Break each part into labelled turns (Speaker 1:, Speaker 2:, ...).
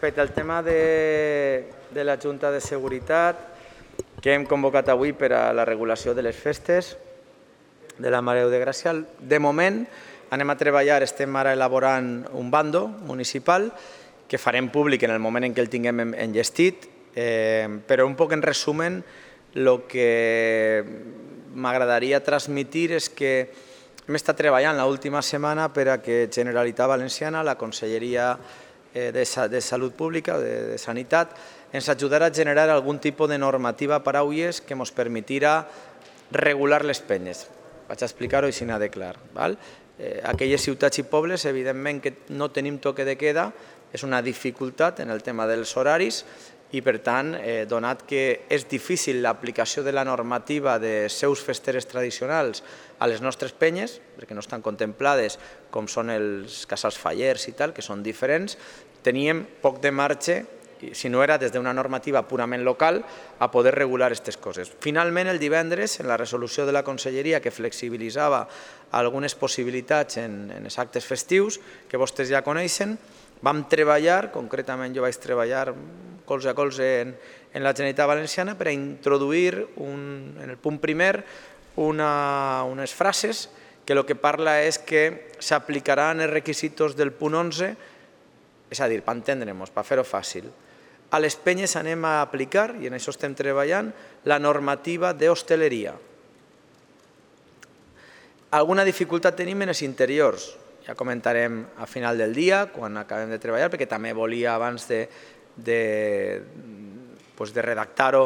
Speaker 1: Respecte al tema de la Junta de Seguretat que hem convocat avui per a la regulació de les festes de la Mare de Gràcia, de moment anem a treballar, estem ara elaborant un bando municipal que farem públic en el moment en què el tinguem enllestit, però un poc en resumen el que m'agradaria transmitir és que hem estat treballant l'última setmana per a que Generalitat Valenciana, la Conselleria de Salut Pública, de Sanitat, ens ajudarà a generar algun tipus de normativa per a UIES que ens permetirà regular les penyes. Vaig a explicar-ho així de clar. Aquelles ciutats i pobles, evidentment que no tenim toque de queda, és una dificultat en el tema dels horaris i, per tant, donat que és difícil l'aplicació de la normativa de seus festeres tradicionals a les nostres penyes, perquè no estan contemplades com són els casals fallers i tal, que són diferents, teníem poc de marge, si no era des d'una normativa purament local, a poder regular aquestes coses. Finalment, el divendres, en la resolució de la Conselleria que flexibilitzava algunes possibilitats en els actes festius, que vostès ja coneixen, vam treballar, concretament jo vaig treballar colze a colze en la Generalitat Valenciana per a introduir en el punt primer unes frases que el que parla és que s'aplicaran els requisits del punt 11, és a dir, per entendre'ns, per fer-ho fàcil. A les penyes anem a aplicar, i en això estem treballant, la normativa d'hostaleria. Alguna dificultat tenim en els interiors, ja comentarem a final del dia, quan acabem de treballar, perquè també volia, abans de redactar-ho,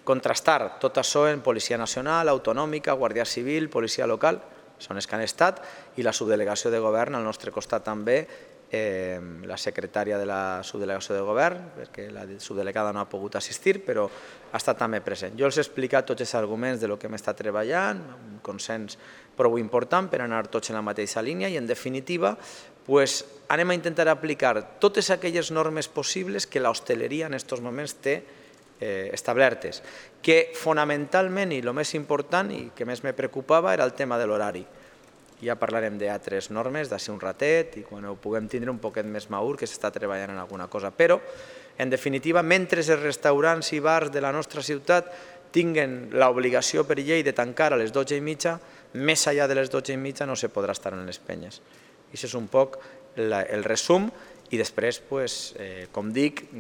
Speaker 1: contrastar tot això en Policia Nacional, Autonòmica, Guàrdia Civil, Policia Local, són els que han estat, i la subdelegació de govern al nostre costat també, la secretària de la subdelegació de govern, perquè la subdelegada no ha pogut assistir, però ha estat també present. Jo els he explicat tots els arguments del que hem estat treballant, un consens prou important per anar tots en la mateixa línia i, en definitiva, anem a intentar aplicar totes aquelles normes possibles que l'hostaleria en aquests moments té establertes, que fonamentalment, i el més important i que més me preocupava, era el tema de l'horari. Ja parlarem d'altres normes, d'ací un ratet, i quan ho puguem tindre un poquet més madur, que s'està treballant en alguna cosa. Però, en definitiva, mentre els restaurants i bars de la nostra ciutat tinguen l'obligació per llei de tancar a les 12:30, més enllà de les 12:30 no se podrà estar en les penyes. I això és un poc el resum. I després, com dic,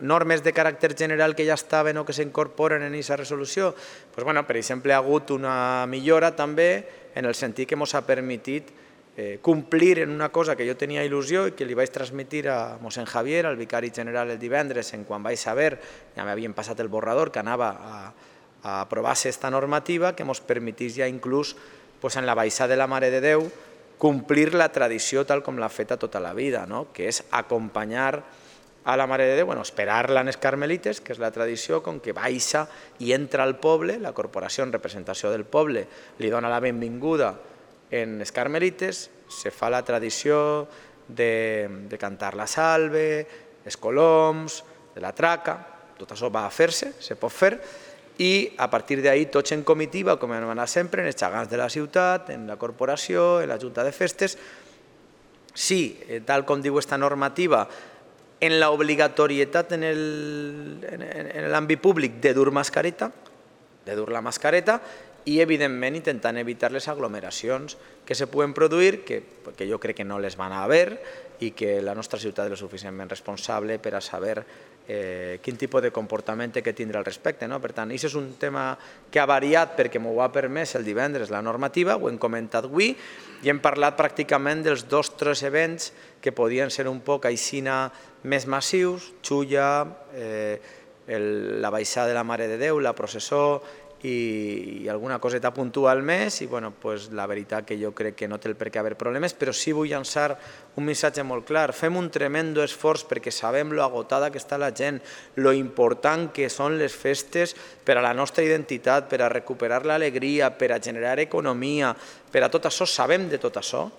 Speaker 1: normes de caràcter general que ja estaven o que s'incorporen en aquesta resolució. Per exemple, ha hagut una millora també en el sentit que ens ha permetit complir en una cosa que jo tenia il·lusió i que li vaig transmetre a mossèn Javier, al vicari general, el divendres, quan vaig saber, ja m'havien passat el borrador, que anava a aprovar-se aquesta normativa, que ens permetís ja inclús en la baixada de la Mare de Déu complir la tradició tal com l'ha feta tota la vida, que és acompanyar a la Mare de Déu, esperar-la en els Carmelites, que és la tradició, com que baixa i entra al poble, la corporació en representació del poble li dona la benvinguda en els Carmelites, se fa la tradició de cantar la salve, els coloms, de la traca, tot això va a fer-se, se pot fer, i a partir d'ahir tots en comitiva, com hem anat sempre, en els gegants de la ciutat, en la corporació, en la Junta de Festes. Sí, tal com diu aquesta normativa, en l'obligatorietat en l'àmbit públic de dur mascareta, i evidentment intentant evitar les aglomeracions que se poden produir, que jo crec que no les van a haver i que la nostra ciutat és suficientment responsable per a saber quin tipus de comportament té que tindre al respecte. Per tant, això és un tema que ha variat perquè m'ho ha permès el divendres la normativa, ho hem comentat avui i hem parlat pràcticament dels 2 o 3 events que podien ser un poc aixina més massius, Xulla, la baixada de la Mare de Déu, la processó i alguna coseta puntual més, i la veritat que jo crec que no té el per què haver problemes, però sí vull llançar un missatge molt clar. Fem un tremendo esforç perquè sabem lo agotada que està la gent, lo important que són les festes per a la nostra identitat, per a recuperar l'alegria, per a generar economia, per a tot això, sabem de tot això,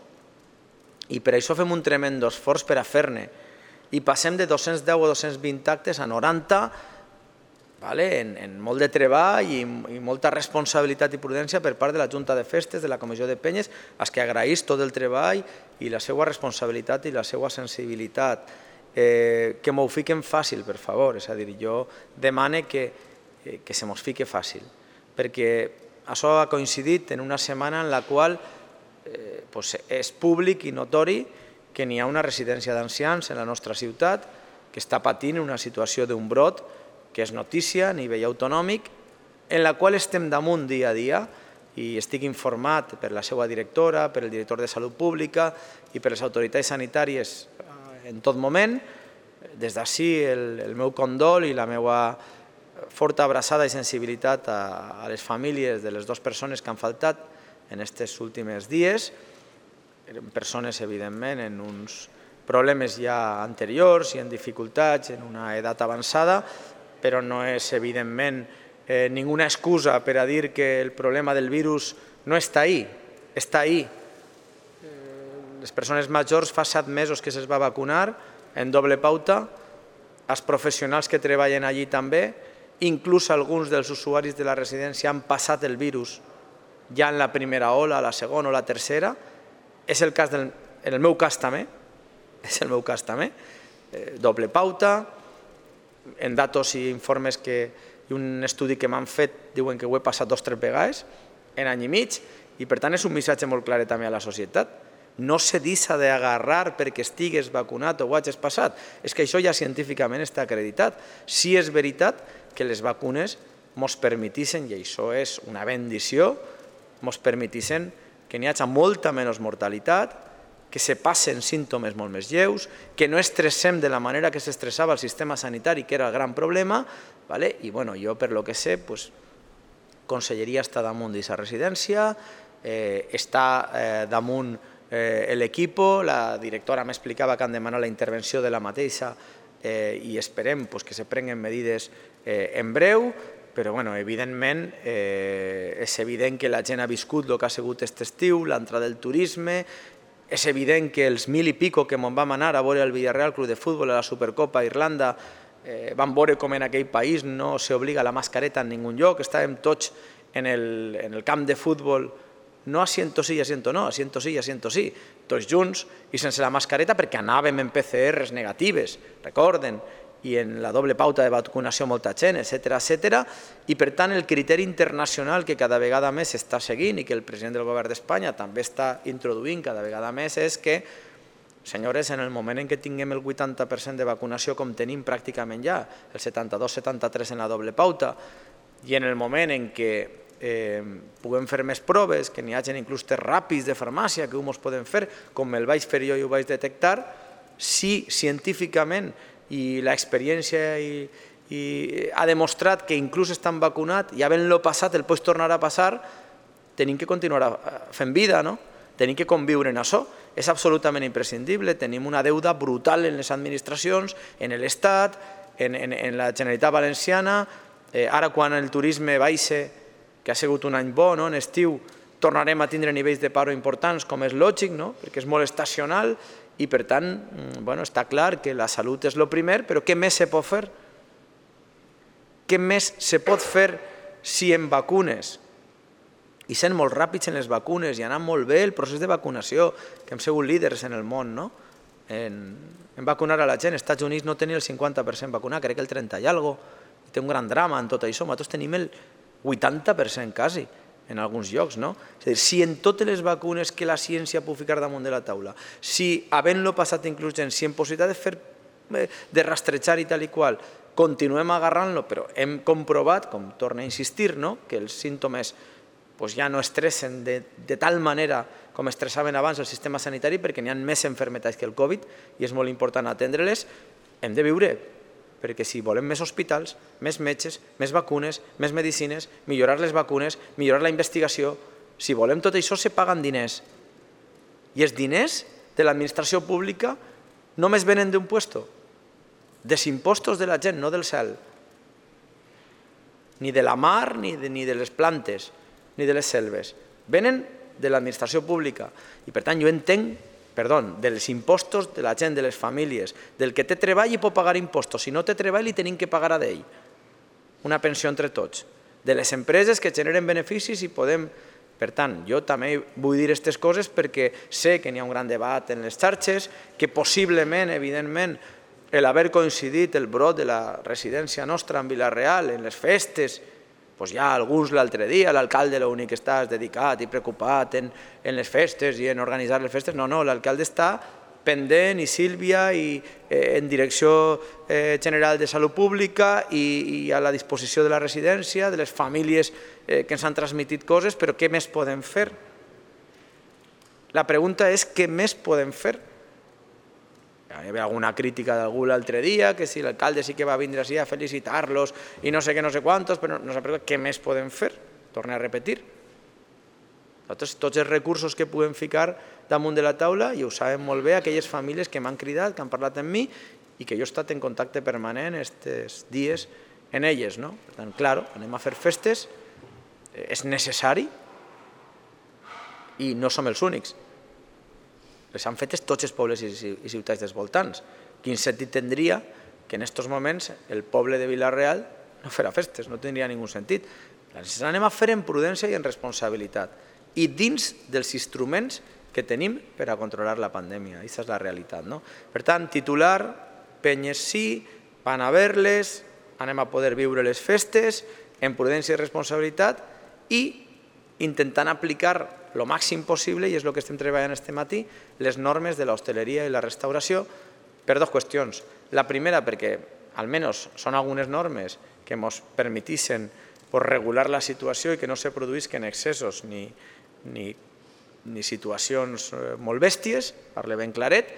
Speaker 1: i per això fem un tremendo esforç per a fer-ne. I passem de 210 o 220 actes a 90, en molt de treball i molta responsabilitat i prudència per part de la Junta de Festes, de la Comissió de Penyes, als que agraïs tot el treball i la seva responsabilitat i la seva sensibilitat. que m'ho fiquen fàcil, per favor. És a dir, jo demane que se mos fique fàcil, perquè això ha coincidit en una setmana en la qual és públic i notori que n'hi ha una residència d'ancians en la nostra ciutat que està patint una situació d'un brot que és notícia a nivell autonòmic, en la qual estem damunt dia a dia i estic informat per la seva directora, per el director de Salut Pública i per les autoritats sanitàries en tot moment. Des d'ací el meu condol i la meva forta abraçada i sensibilitat a les famílies de les dues persones que han faltat en aquests últims dies. Eren persones, evidentment, en uns problemes ja anteriors i en dificultats, en una edat avançada, però no és, evidentment, ninguna excusa per a dir que el problema del virus no està ahí, està ahí. Les persones majors fa 7 mesos que se'ls va vacunar en doble pauta, els professionals que treballen allí també, inclús alguns dels usuaris de la residència han passat el virus ja en la primera ola, la segona o la tercera. És el cas en el meu cas també, doble pauta, en datos i informes i un estudi que m'han fet diuen que ho he passat 2 o 3 vegades en any i mig, i per tant és un missatge molt clar també a la societat. No se deixa d'agarrar perquè estigues vacunat o ho hagis passat. És que això ja científicament està acreditat. Sí és veritat que les vacunes ens permetixen, i això és una bendició, ens permetixen que n'hi hagi molta menys mortalitat, que se passen símptomes molt més lleus, que no estressem de la manera que s'estressava el sistema sanitari, que era el gran problema, i jo, per lo que sé, Conselleria està damunt d'aquesta residència, està damunt l'equip, la directora m'explicava que han demanat la intervenció de la mateixa i esperem que se prenguen medides en breu, però evidentment és evident que la gent ha viscut el que ha sigut aquest estiu, l'entrada del turisme, és evident que els 1.000 i pico que vam anar a veure el Villarreal Club de Futbol a la Supercopa a Irlanda vam veure com en aquell país no s'obliga la mascareta en ningú lloc, estàvem tots en el camp de futbol, no asiento sí i asiento no, asiento sí i asiento sí, tots junts i sense la mascareta perquè anàvem en PCRs negatives, recorden, i en la doble pauta de vacunació molta gent, etcètera, i per tant el criteri internacional que cada vegada més s'està seguint i que el president del govern d'Espanya també està introduint cada vegada més és que, senyores, en el moment en què tinguem el 80% de vacunació com tenim pràcticament ja, el 72-73 en la doble pauta, i en el moment en què puguem fer més proves, que n'hi hagi inclús tests ràpids de farmàcia que ens poden fer, com el vaig fer jo i ho vaig detectar, si científicament i l'experiència ha demostrat que inclús estan vacunats i havent-lo passat el pots tornar a passar, tenim que continuar fent vida, no? Tenim que conviure en això. És absolutament imprescindible, tenim una deuda brutal en les administracions, en l'Estat, en la Generalitat Valenciana. Ara quan el turisme baixa, que ha sigut un any bo, en estiu tornarem a tindre nivells de paro importants, com és lògic, perquè és molt estacional, i per tant està clar que la salut és el primer, però què més se pot fer? Què més se pot fer si en vacunes i sent molt ràpids en les vacunes i anant molt bé el procés de vacunació, que hem sigut líders en el món, en vacunar a la gent. Els Estats Units no tenia el 50% vacunat, crec que el 30 i alguna cosa, i té un gran drama en tot això. Nosaltres tenim el 80% quasi, en alguns llocs, no? És a dir, si en totes les vacunes que la ciència pot ficar damunt de la taula, si havent-lo passat inclús gent, si en possibilitat de rastrejar i tal i qual, continuem agarrant-lo, però hem comprovat, com torna a insistir, que els símptomes ja no estressen de tal manera com estressaven abans el sistema sanitari, perquè n'hi ha més malalties que el Covid i és molt important atendre-les, hem de viure, perquè si volem més hospitals, més metges, més vacunes, més medicines, millorar les vacunes, millorar la investigació, si volem tot això se paguen diners. I els diners de l'administració pública només venen d'un puesto, dels impostos de la gent, no del cel, ni de la mar, ni de les plantes, ni de les selves. Venen de l'administració pública i per tant jo entenc dels impostos de la gent, de les famílies, del que té treball i pot pagar impostos. Si no té treball, li tenim que pagar a ell una pensió entre tots. De les empreses que generen beneficis i podem... Per tant, jo també vull dir aquestes coses perquè sé que n'hi ha un gran debat en les xarxes, que possiblement, evidentment, l'haver coincidit el brot de la residència nostra en Vila-real, en les festes, doncs ja alguns l'altre dia, l'alcalde l'únic que està dedicat i preocupat en les festes i en organitzar les festes, no, l'alcalde està pendent i Sílvia i en Direcció General de Salut Pública i a la disposició de la residència, de les famílies que ens han transmitit coses, però què més podem fer? La pregunta és què més podem fer? Hi havia alguna crítica d'algú l'altre dia, que si l'alcalde sí que va vindre així a felicitar-los i no sé què, no sé quantos, però no sé què més podem fer? Torno a repetir. Nosaltres, tots els recursos que puguem ficar damunt de la taula, i ho saben molt bé aquelles famílies que m'han cridat, que han parlat amb mi i que jo he estat en contacte permanent aquests dies en elles. Per tant, clar, anem a fer festes, és necessari i no som els únics. Les han fetes tots els pobles i ciutats dels voltants. Quin sentit tindria que en aquests moments el poble de Vila-real no farà festes? No tindria ningú sentit. Les anem a fer en prudència i en responsabilitat i dins dels instruments que tenim per a controlar la pandèmia. Aquesta és la realitat. Per tant, titular, penyes sí, van a ver-les, anem a poder viure les festes en prudència i responsabilitat i intentant aplicar el màxim possible, i és el que estem treballant aquest matí, les normes de l'hostaleria i la restauració per dues qüestions. La primera, perquè almenys són algunes normes que ens permetixen regular la situació i que no se produïsquen excessos ni situacions molt bèsties, parle ben claret,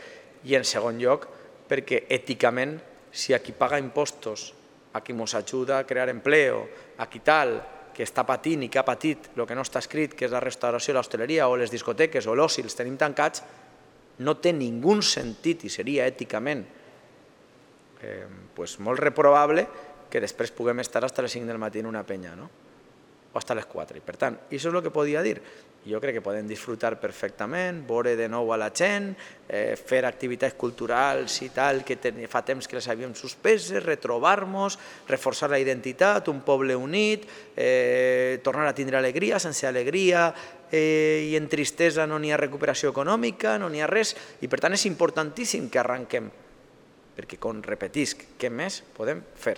Speaker 1: i en segon lloc, perquè èticament, si a qui paga impostos, a qui ens ajuda a crear empleo, a qui tal, que està patint i que ha patit el que no està escrit, que és la restauració, l'hostaleria o les discoteques o l'oci, els tenim tancats, no té ningú sentit i seria èticament molt reprovable que després puguem estar fins a les 5 del matí en una penya, o fins a les 4. I per tant, això és el que podia dir. Jo crec que podem disfrutar perfectament, veure de nou a la gent, fer activitats culturals i tal, que fa temps que les havíem suspeses, retrobar-nos, reforçar la identitat, un poble unit, tornar a tindre alegria, sense alegria i en tristesa no n'hi ha recuperació econòmica, no n'hi ha res, i per tant és importantíssim que arranquem, perquè, com repetisc, què més podem fer?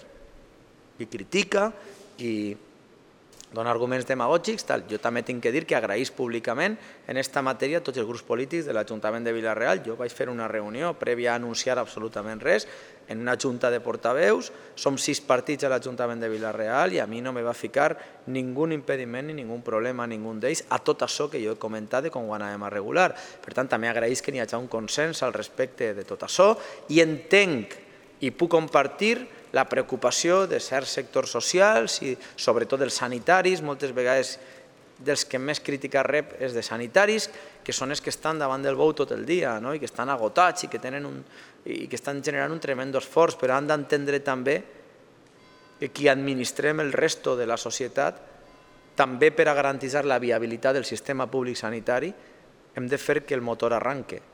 Speaker 1: I critica i dona arguments demagògics, jo també tinc que dir que agraïs públicament en aquesta matèria a tots els grups polítics de l'Ajuntament de Vila-real. Jo vaig fer una reunió prèvia a anunciar absolutament res en una junta de portaveus, som 6 partits a l'Ajuntament de Vila-real i a mi no me va ficar ningú impediment ni ningú problema, ningú d'ells, a tot això que jo he comentat de com ho anàvem a regular. Per tant, també agraïs que n'hi hagi un consens al respecte de tot això i entenc i puc compartir la preocupació de certs sectors socials i sobretot dels sanitaris, moltes vegades dels que més crítica rep és de sanitaris, que són els que estan davant del bou tot el dia i que estan agotats i que estan generant un tremendo esforç, però han d'entendre també que qui administrem el resto de la societat, també per a garantir la viabilitat del sistema públic sanitari, hem de fer que el motor arranque.